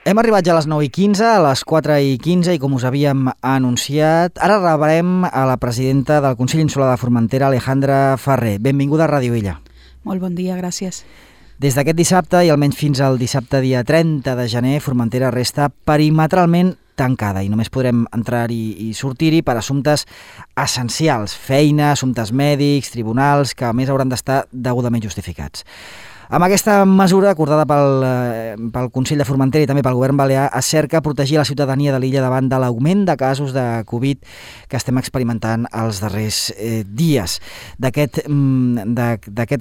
Hem arribat ja a les 9:15, a les 4:15 i com us havíem anunciat, ara rebrem a la presidenta del Consell Insular de Formentera, Alejandra Ferrer. Benvinguda a Ràdio Illa. Molt bon dia, gràcies. Des d'aquest dissabte i almenys fins al dissabte dia 30 de gener, Formentera resta perimetralment tancada i només podrem entrar-hi i sortir-hi per assumptes essencials, feina, assumptes mèdics, tribunals, que a més hauran d'estar degudament justificats. Amb aquesta mesura acordada pel Consell de Formentera i també pel Govern Balear es cerca protegir la ciutadania de l'illa davant de l'augment de casos de Covid que estem experimentant els darrers dies. D'aquest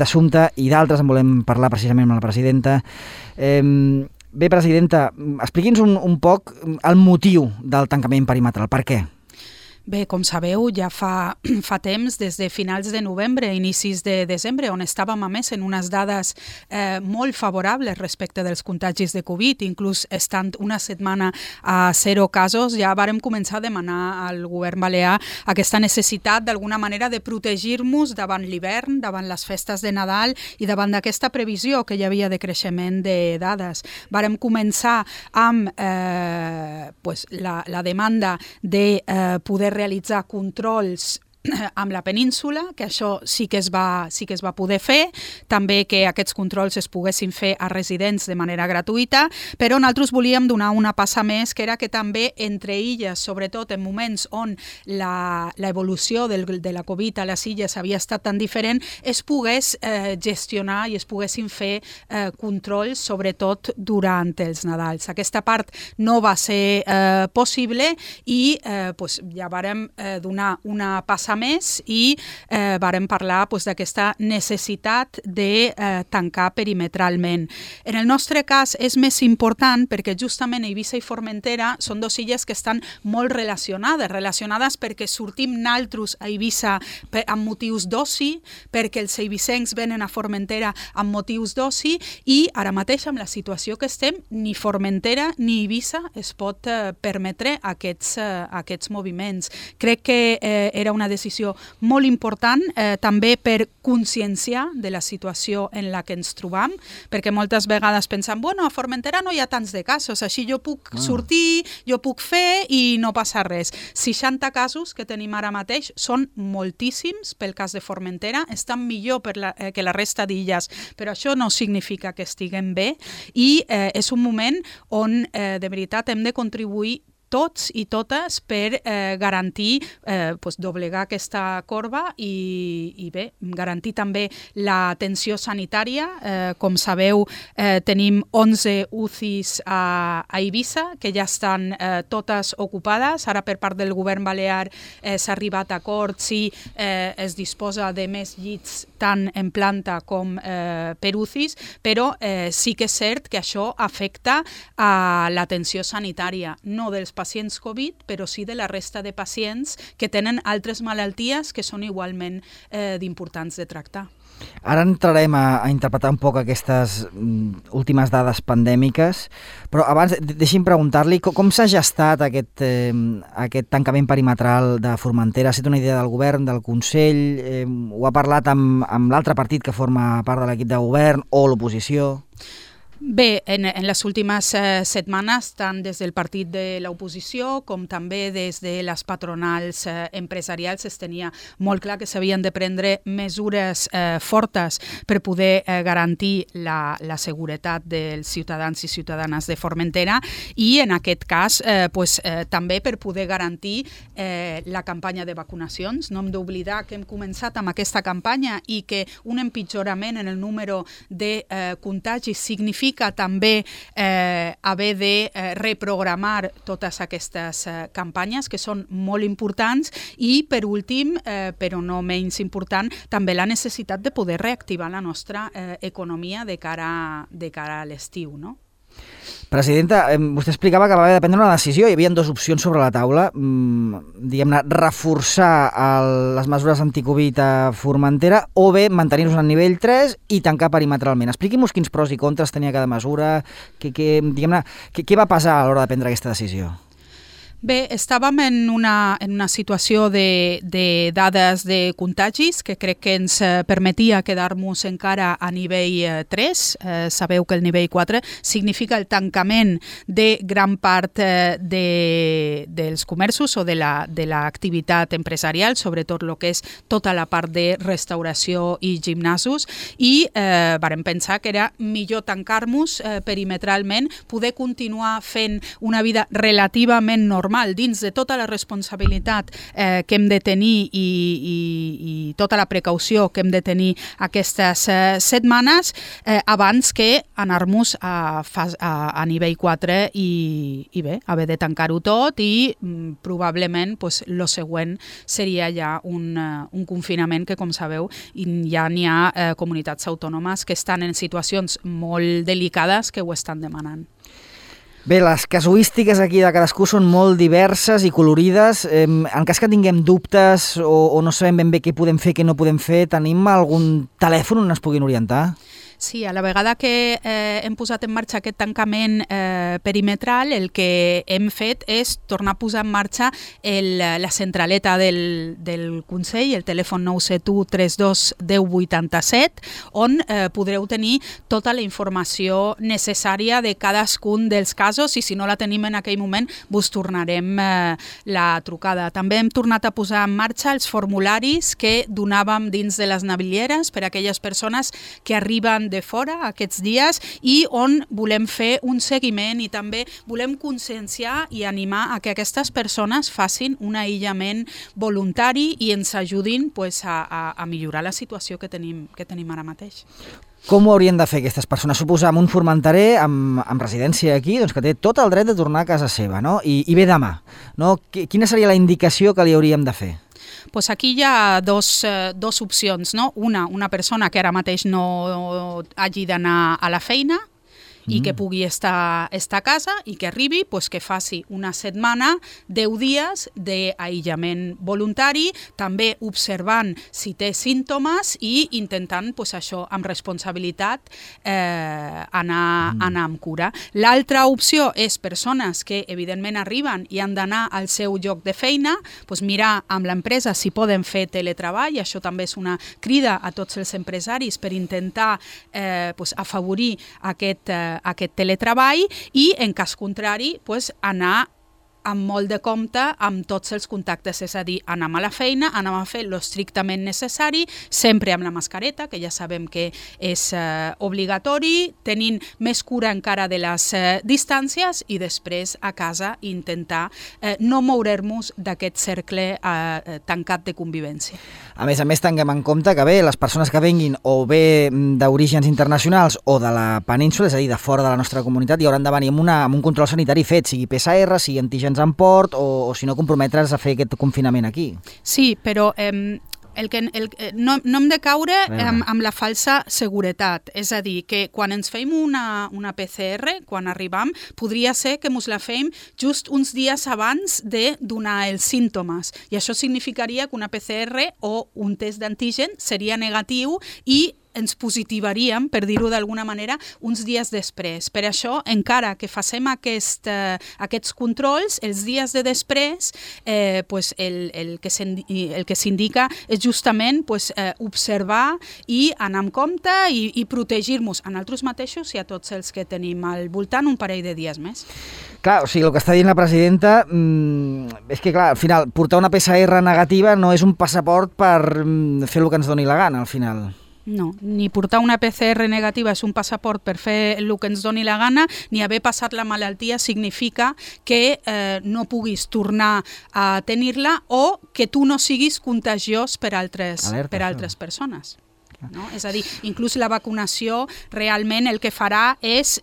assumpte i d'altres en volem parlar precisament amb la presidenta. Bé, presidenta, expliqui'ns un poc el motiu del tancament perimetral. Per què? Bé, com sabeu, ja fa temps, des de finals de novembre, inicis de desembre, on estàvem a més en unes dades molt favorables respecte dels contagis de Covid, inclús estant una setmana a 0 casos, ja vàrem començar a demanar al govern balear aquesta necessitat d'alguna manera de protegir-nos davant l'hivern, davant les festes de Nadal i davant d'aquesta previsió que hi havia de creixement de dades. Vàrem començar amb la demanda de poder realitzar controls amb la península, que això sí que es va poder fer, també que aquests controls es poguessin fer a residents de manera gratuïta, però nosaltres volíem donar una passa més, que era que també entre illes, sobretot en moments on l'evolució de la Covid a les illes havia estat tan diferent, es pogués gestionar i es poguessin fer controls, sobretot durant els Nadals. Aquesta part no va ser possible i ja vàrem donar una passa més i vàrem parlar d'aquesta necessitat de tancar perimetralment. En el nostre cas és més important perquè justament Eivissa i Formentera són dues illes que estan molt relacionades perquè sortim naltros a Eivissa amb motius d'oci, perquè els eivissencs venen a Formentera amb motius d'oci i ara mateix amb la situació que estem ni Formentera ni Eivissa es pot permetre aquests moviments. Crec que era una decisió molt important també per conscienciar de la situació en la que ens trobam, perquè moltes vegades pensem, a Formentera no hi ha tants de casos, així jo puc sortir, jo puc fer i no passa res. 60 casos que tenim ara mateix són moltíssims pel cas de Formentera, estan millor que la resta d'illes, però això no significa que estiguem bé i és un moment on de veritat hem de contribuir tots i totes per garantir, doblegar aquesta corba i bé, garantir també l'atenció sanitària. Com sabeu, tenim 11 UCIs a Eivissa, que ja estan totes ocupades. Ara per part del govern balear s'ha arribat a acords i es disposa de més llits tant en planta com per UCIs, però sí que és cert que això afecta a l'atenció sanitària, no dels pacients Covid, però sí de la resta de pacients que tenen altres malalties que són igualment d'importants de tractar. Ara entrarem a interpretar un poc aquestes últimes dades pandèmiques, però abans deixi'm preguntar-li com s'ha gestat aquest tancament perimetral de Formentera. Ha estat una idea del govern, del Consell? Ho ha parlat amb l'altre partit que forma part de l'equip de govern o l'oposició? Bé, en les últimes setmanes, tant des del partit de l'oposició com també des de les patronals empresarials es tenia molt clar que s'havien de prendre mesures fortes per poder garantir la seguretat dels ciutadans i ciutadanes de Formentera i en aquest cas també per poder garantir la campanya de vacunacions. No hem d'oblidar que hem començat amb aquesta campanya i que un empitjorament en el número de contagis significa també haver de reprogramar totes aquestes campanyes que són molt importants i per últim, però no menys important, també la necessitat de poder reactivar la nostra economia de cara a l'estiu, no? Presidenta, vostè explicava que va haver de prendre una decisió. Hi havia dues opcions sobre la taula, diguem-ne, reforçar les mesures anticovid a Formentera o bé mantenir-nos al nivell 3 i tancar perimetralment. Expliqui-nos quins pros i contres tenia cada mesura, què va passar a l'hora de prendre aquesta decisió. Bé, estàvem en una situació de dades de contagis que crec que ens permetia quedar-nos encara a nivell 3. Sabeu que el nivell 4 significa el tancament de gran part dels comerços o de l'activitat empresarial, sobretot el que és tota la part de restauració i gimnasos, i vàrem pensar que era millor tancar-nos perimetralment, poder continuar fent una vida relativament normal dins de tota la responsabilitat que hem de tenir i tota la precaució que hem de tenir aquestes setmanes abans que anar-nos a nivell 4 i bé, haver de tancar-ho tot i probablement el següent seria ja un confinament que, com sabeu, ja n'hi ha comunitats autònomes que estan en situacions molt delicades que ho estan demanant. Bé, les casuístiques aquí de cadascú són molt diverses i colorides. En cas que tinguem dubtes o no sabem ben bé què podem fer, què no podem fer, tenim algun telèfon on ens puguin orientar? Sí, a la vegada que hem posat en marxa aquest tancament perimetral, el que hem fet és tornar a posar en marxa la centraleta del Consell, el telèfon 971 32 10 87, on podreu tenir tota la informació necessària de cadascun dels casos i si no la tenim en aquell moment vos tornarem la trucada. També hem tornat a posar en marxa els formularis que donàvem dins de les navilleres per a aquelles persones que arriben de fora aquests dies i on volem fer un seguiment i també volem conscienciar i animar a que aquestes persones facin un aïllament voluntari i ens ajudin a millorar la situació que tenim ara mateix. Com ho haurien de fer aquestes persones? Suposam un formenterer amb residència aquí, doncs que té tot el dret de tornar a casa seva, no? I ve demà, no? Quina seria la indicació que li hauríem de fer? Pues aquí hi ha dos opcions, no? Una persona que ara mateix no hagi d'anar a la feina i que pugui estar a casa i que arribi, que faci una setmana, 10 dies d'aïllament voluntari, també observant si té símptomes i intentant, això, amb responsabilitat, anar amb cura. L'altra opció és persones que, evidentment, arriben i han d'anar al seu lloc de feina, mirar amb l'empresa si poden fer teletreball, això també és una crida a tots els empresaris per intentar afavorir aquest teletreball i, en cas contrari, anar amb molt de compte amb tots els contactes, és a dir, anem a la feina, anem a fer l'estrictament necessari, sempre amb la mascareta, que ja sabem que és obligatori, tenint més cura encara de les distàncies i després a casa intentar no moure'ns d'aquest cercle tancat de convivència. A més, tinguem en compte que bé, les persones que venguin o bé d'orígens internacionals o de la península, és a dir, de fora de la nostra comunitat, hi hauran de venir amb un control sanitari fet, sigui PCR, sigui antígens en port o si no comprometre's a fer aquest confinament aquí. Sí, però no hem de caure amb la falsa seguretat. És a dir, que quan ens fem una PCR, quan arribem, podria ser que ens la fem just uns dies abans de donar els símptomes. I això significaria que una PCR o un test d'antígen seria negatiu i ens positivaríem, per dir-ho d'alguna manera, uns dies després. Per això, encara que facem aquests controls, els dies de després, el que s'indica és justament observar i anar amb compte i protegir-nos a nosaltres mateixos i a tots els que tenim al voltant un parell de dies més. Clar, o sigui, el que està dient la presidenta és que, clar, al final, portar una PCR negativa no és un passaport per fer el que ens doni la gana, al final. No, ni portar una PCR negativa és un passaport per fer el que ens doni la gana, ni haver passat la malaltia significa que no puguis tornar a tenir-la o que tu no siguis contagiós per altres persones. No? És a dir, inclús la vacunació realment el que farà és,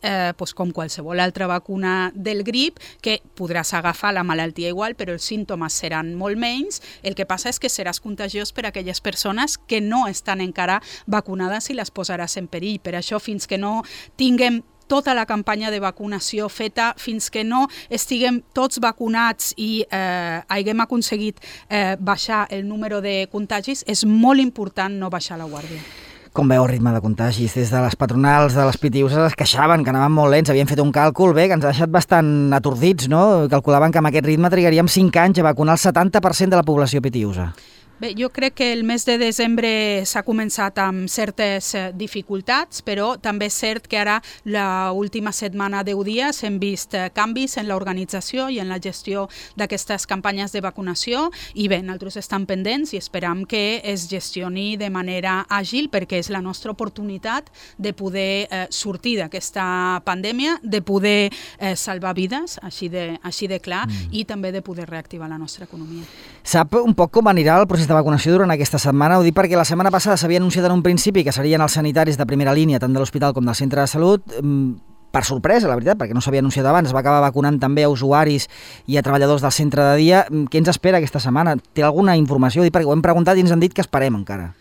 com qualsevol altra vacuna del grip, que podràs agafar la malaltia igual, però els símptomes seran molt menys. El que passa és que seràs contagiós per a aquelles persones que no estan encara vacunades i les posaràs en perill. Per això, fins que no tinguem tota la campanya de vacunació feta, fins que no estiguem tots vacunats i haguem aconseguit baixar el número de contagis, és molt important no baixar la guàrdia. Com veu el ritme de contagis? Des de les patronals de les Pitiuses es queixaven que anaven molt lents, havien fet un càlcul, que ens ha deixat bastant atordits, no? Calculaven que amb aquest ritme trigaríem 5 anys a vacunar el 70% de la població pitiusa. Bé, jo crec que el mes de desembre s'ha començat amb certes dificultats, però també és cert que ara l'última setmana, 10 dies, hem vist canvis en l'organització i en la gestió d'aquestes campanyes de vacunació i bé, nosaltres estem pendents i esperam que es gestioni de manera àgil perquè és la nostra oportunitat de poder sortir d'aquesta pandèmia, de poder salvar vides, així de clar, i també de poder reactivar la nostra economia. Sap un poc com anirà el procés de vacunació durant aquesta setmana? Ho dic perquè la setmana passada s'havia anunciat en un principi que serien els sanitaris de primera línia, tant de l'hospital com del centre de salut, per sorpresa, la veritat, perquè no s'havia anunciat abans, es va acabar vacunant també a usuaris i a treballadors del centre de dia. Què ens espera aquesta setmana? Té alguna informació? Ho dic perquè ho hem preguntat i ens han dit que esperem encara.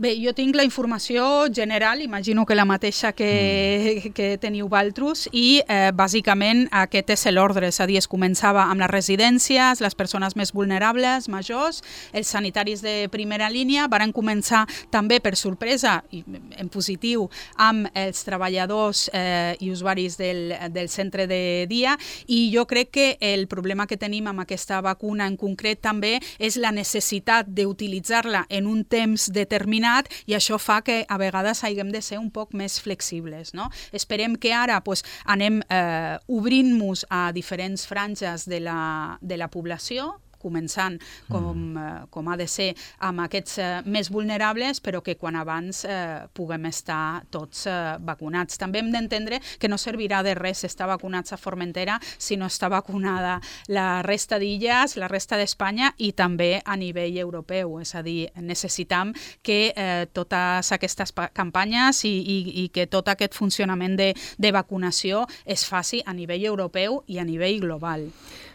Bé, jo tinc la informació general, imagino que la mateixa que teniu vosaltres, i bàsicament aquest és l'ordre, és a dir, es començava amb les residències, les persones més vulnerables, majors, els sanitaris de primera línia, varen començar també per sorpresa, i en positiu, amb els treballadors i usuaris del centre de dia, i jo crec que el problema que tenim amb aquesta vacuna en concret també és la necessitat d'utilitzar-la en un temps determinat i això fa que a vegades haguem de ser un poc més flexibles, no? Esperem que ara anem obrint-nos a diferents franges de la població, començant com ha de ser amb aquests més vulnerables, però que quan abans puguem estar tots vacunats. També hem d'entendre que no servirà de res estar vacunats a Formentera si no està vacunada la resta d'illes, la resta d'Espanya i també a nivell europeu. És a dir, necessitam que totes aquestes campanyes i que tot aquest funcionament de vacunació es faci a nivell europeu i a nivell global.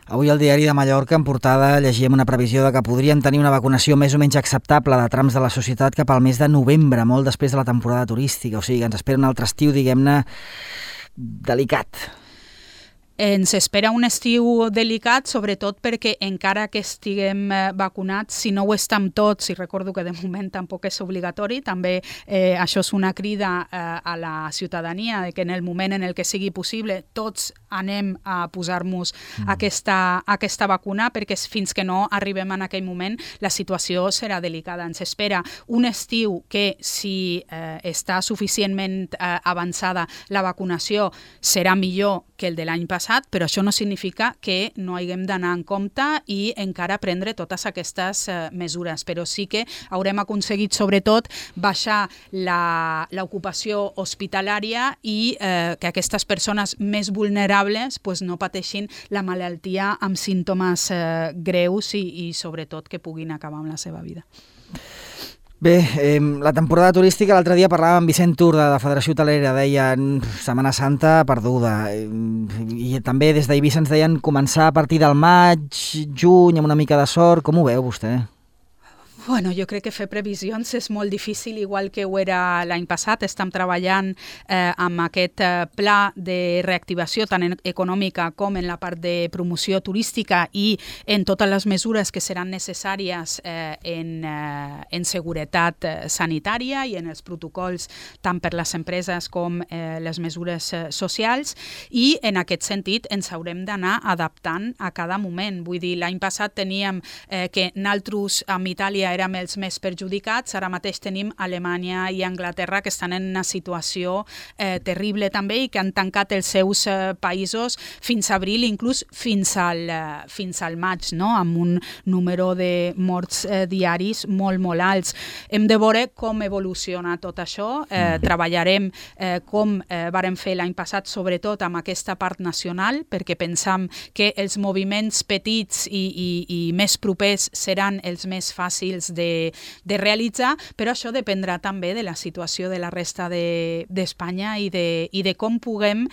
Avui al diari de Mallorca, en portada, llegíem una previsió de que podrien tenir una vacunació més o menys acceptable de trams de la societat cap al mes de novembre, molt després de la temporada turística. O sigui, ens espera un altre estiu, diguem-ne, delicat. Ens espera un estiu delicat, sobretot perquè encara que estiguem vacunats, si no ho estem tots, i recordo que de moment tampoc és obligatori, també això és una crida a la ciutadania, que en el moment en el que sigui possible tots anem a posar-nos aquesta vacuna, perquè fins que no arribem en aquell moment la situació serà delicada. Ens espera un estiu que, si està suficientment avançada la vacunació, serà millor que el de l'any passat, però això no significa que no haguem d'anar en compte i encara prendre totes aquestes mesures. Però sí que haurem aconseguit, sobretot, baixar l'ocupació hospitalària i que aquestes persones més vulnerables no pateixin la malaltia amb símptomes greus i sobretot, que puguin acabar amb la seva vida. Bé, la temporada turística, l'altre dia parlàvem amb Vicent Tur de la Federació Hotelera, deien Setmana Santa perduda, i també des d'Eivissa ens deien començar a partir del maig, juny, amb una mica de sort. Com ho veu vostè? Bueno, jo crec que fer previsions és molt difícil, igual que ho era l'any passat. Estem treballant amb aquest pla de reactivació tant econòmica com en la part de promoció turística i en totes les mesures que seran necessàries en seguretat sanitària i en els protocols tant per les empreses com les mesures socials, i en aquest sentit ens haurem d'anar adaptant a cada moment. Vull dir, l'any passat teníem que nosaltres amb Itàlia érem els més perjudicats, ara mateix tenim Alemanya i Anglaterra que estan en una situació terrible també i que han tancat els seus països fins a abril, inclús fins al maig, no? Amb un número de morts diaris molt, molt alts. Hem de veure com evoluciona tot això, treballarem com vàrem fer l'any passat, sobretot amb aquesta part nacional, perquè pensam que els moviments petits i més propers seran els més fàcils de realitzar, però això dependrà també de la situació de la resta d'Espanya i de com puguem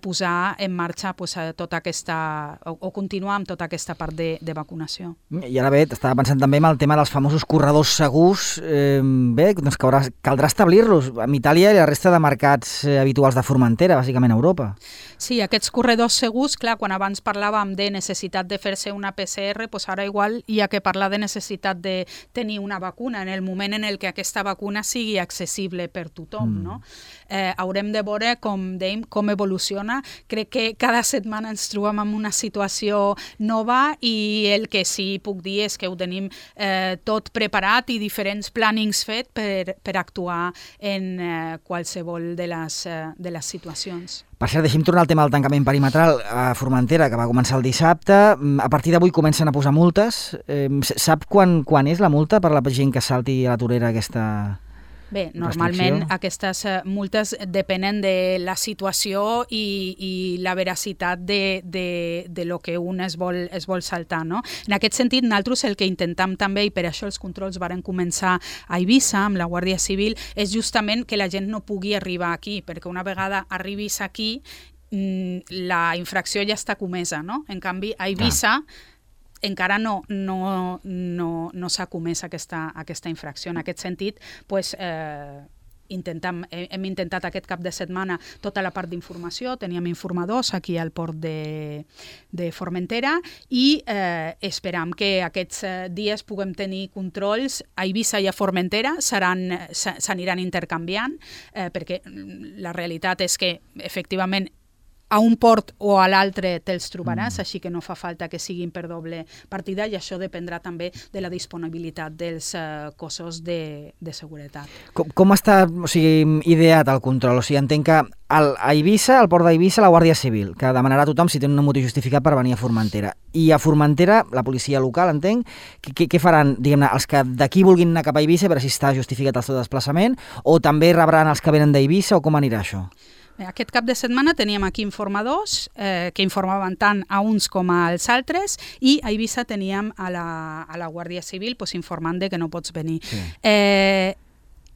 posar en marxa tota aquesta, o continuar amb tota aquesta part de vacunació. I ara bé, estava pensant també en el tema dels famosos corredors segurs. Bé, doncs caldrà establir-los amb Itàlia i la resta de mercats habituals de Formentera, bàsicament a Europa. Sí, aquests corredors segurs, clar, quan abans parlàvem de necessitat de fer-se una PCR, doncs ara igual hi ha que parlar de necessitat de tenir una vacuna en el moment en el que aquesta vacuna sigui accessible per tothom, no? Haurem de veure, com dèiem, com evoluciona. Crec que cada setmana ens trobem en una situació nova i el que sí puc dir és que ho tenim tot preparat i diferents plànings fet per actuar en qualsevol de les situacions. Per cert, deixi'm tornar al tema del tancament perimetral a Formentera, que va començar el dissabte. A partir d'avui comencen a posar multes. Sap quan és la multa per la gent que salti a la torera aquesta... Bé, normalment aquestes multes depenen de la situació i la veracitat de lo que un es vol saltar, no? En aquest sentit, nosaltres el que intentem també, i per això els controls varen començar a Eivissa amb la Guàrdia Civil, és justament que la gent no pugui arribar aquí, perquè una vegada arribis aquí, la infracció ja està comesa, no? En canvi, a Eivissa encara no s'ha comès aquesta infracció. En aquest sentit, hem intentat aquest cap de setmana tota la part d'informació, teníem informadors aquí al port de Formentera i esperam que aquests dies puguem tenir controls a Eivissa i a Formentera, s'aniran intercanviant, perquè la realitat és que efectivament a un port o a l'altre te'ls trobaràs, així que no fa falta que siguin per doble partida i això dependrà també de la disponibilitat dels cossos de seguretat. Com està ideat el control? O sigui, entenc que a Eivissa, al port d'Eivissa, la Guàrdia Civil, que demanarà a tothom si té un motiu justificat per venir a Formentera. I a Formentera, la policia local, entenc, què faran, diguem-ne, els que d'aquí vulguin anar cap a Eivissa per si està justificat el seu desplaçament, o també rebran els que venen d'Eivissa, o com anirà això? Aquest cap de setmana teníem aquí informadors que informaven tant a uns com als altres i a Eivissa teníem a la Guàrdia Civil informant que no pots venir. Sí.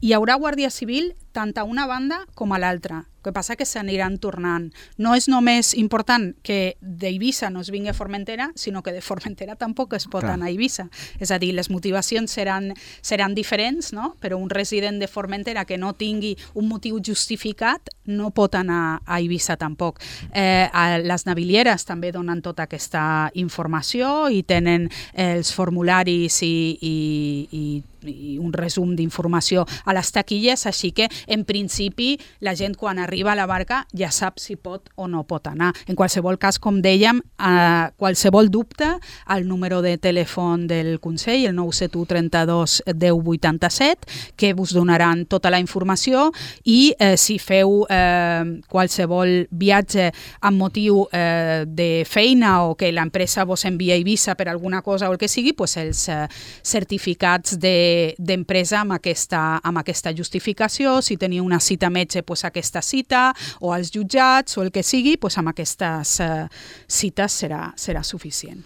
Hi haurà Guàrdia Civil tant a una banda com a l'altra. El que passa que s'aniran tornant. No és només important que d'Eivissa no es vingui a Formentera, sinó que de Formentera tampoc es pot anar a Eivissa. És a dir, les motivacions seran diferents, no? Però un resident de Formentera que no tingui un motiu justificat no pot anar a Eivissa tampoc. Les navilieres també donen tota aquesta informació i tenen els formularis i un resum d'informació a les taquilles, així que en principi la gent quan arriba a la barca ja sap si pot o no pot anar. En qualsevol cas, com dèiem, qualsevol dubte, al número de telèfon del Consell, el 971 32 10 87, que us donaran tota la informació i si feu qualsevol viatge amb motiu de feina o que l'empresa vos envia a Eivissa per alguna cosa o el que sigui, els certificats d'empresa amb aquesta justificació, si teniu una cita metge, aquesta cita, o als jutjats, o el que sigui, amb aquestes cites serà suficient.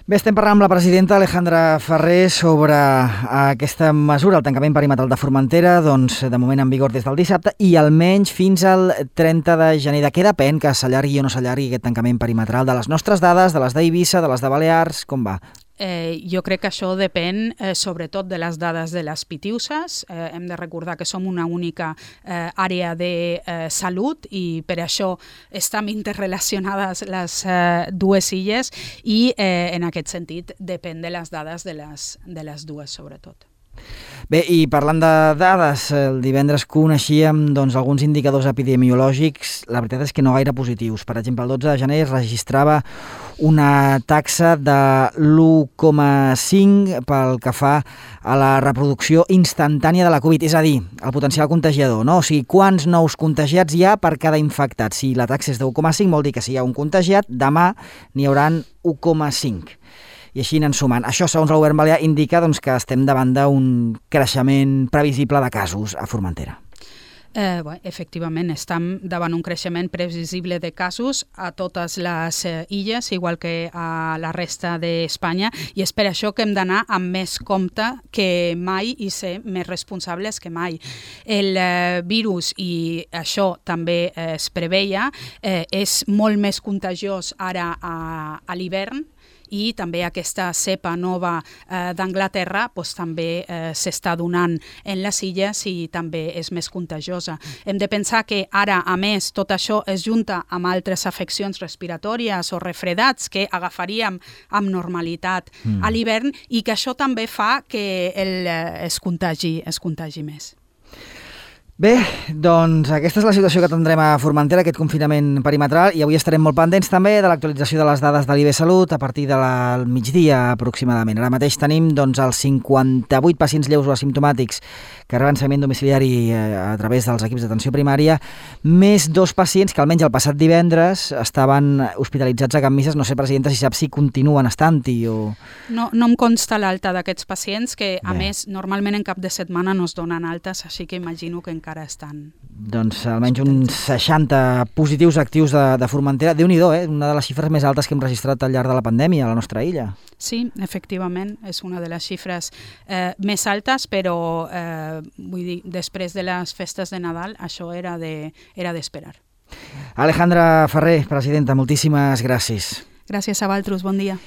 Bé, estem parlant amb la presidenta Alejandra Ferrer sobre aquesta mesura, el tancament perimetral de Formentera, doncs de moment en vigor des del dissabte i almenys fins al 30 de gener. De què depèn que s'allargui o no s'allargui aquest tancament perimetral? De les nostres dades, de les d'Eivissa, de les de Balears, com va? Jo crec que això depèn sobretot de les dades de les Pitiüses. Hem de recordar que som una única àrea de salut i per això estan interrelacionades les dues illes i en aquest sentit depèn de les dades de les dues sobretot. Bé, i parlant de dades, el divendres coneixíem alguns indicadors epidemiològics, la veritat és que no gaire positius. Per exemple, el 12 de gener es registrava una taxa de l'1,5 pel que fa a la reproducció instantània de la Covid, és a dir, el potencial contagiador, no? O sigui, quants nous contagiats hi ha per cada infectat. Si la taxa és de 1,5 vol dir que si hi ha un contagiat, demà n'hi hauran 1,5. I així anem sumant. Això, segons el govern balear, indica que estem davant d'un creixement previsible de casos a Formentera. Efectivament, estem davant un creixement previsible de casos a totes les illes, igual que a la resta d'Espanya, i és per això que hem d'anar amb més compte que mai i ser més responsables que mai. El virus, i això també es preveia, és molt més contagiós ara a l'hivern, i també aquesta cepa nova d'Anglaterra també s'està donant en les illes i també és més contagiosa. Hem de pensar que ara, a més, tot això es junta amb altres afeccions respiratòries o refredats que agafaríem amb normalitat a l'hivern i que això també fa que es contagi més. Bé, doncs aquesta és la situació que tindrem a Formentera, aquest confinament perimetral, i avui estarem molt pendents també de l'actualització de les dades de l'IB Salut a partir del migdia aproximadament. Ara mateix tenim els 58 pacients lleus o asimptomàtics que reben seguiment domiciliari a través dels equips d'atenció primària, més 2 pacients que almenys el passat divendres estaven hospitalitzats a Can Misses. No sé, presidenta, si sap si continuen estant-hi o... No em consta l'alta d'aquests pacients, que a més normalment en cap de setmana no es donen altes, així que imagino que encara estan... Doncs almenys uns 60 positius actius de Formentera. Déu-n'hi-do, una de les xifres més altes que hem registrat al llarg de la pandèmia a la nostra illa. Sí, efectivament, és una de les xifres més altes, però vull dir, després de les festes de Nadal això era d'esperar. Alejandra Ferrer, presidenta, moltíssimes gràcies. Gràcies a vosaltres, bon dia.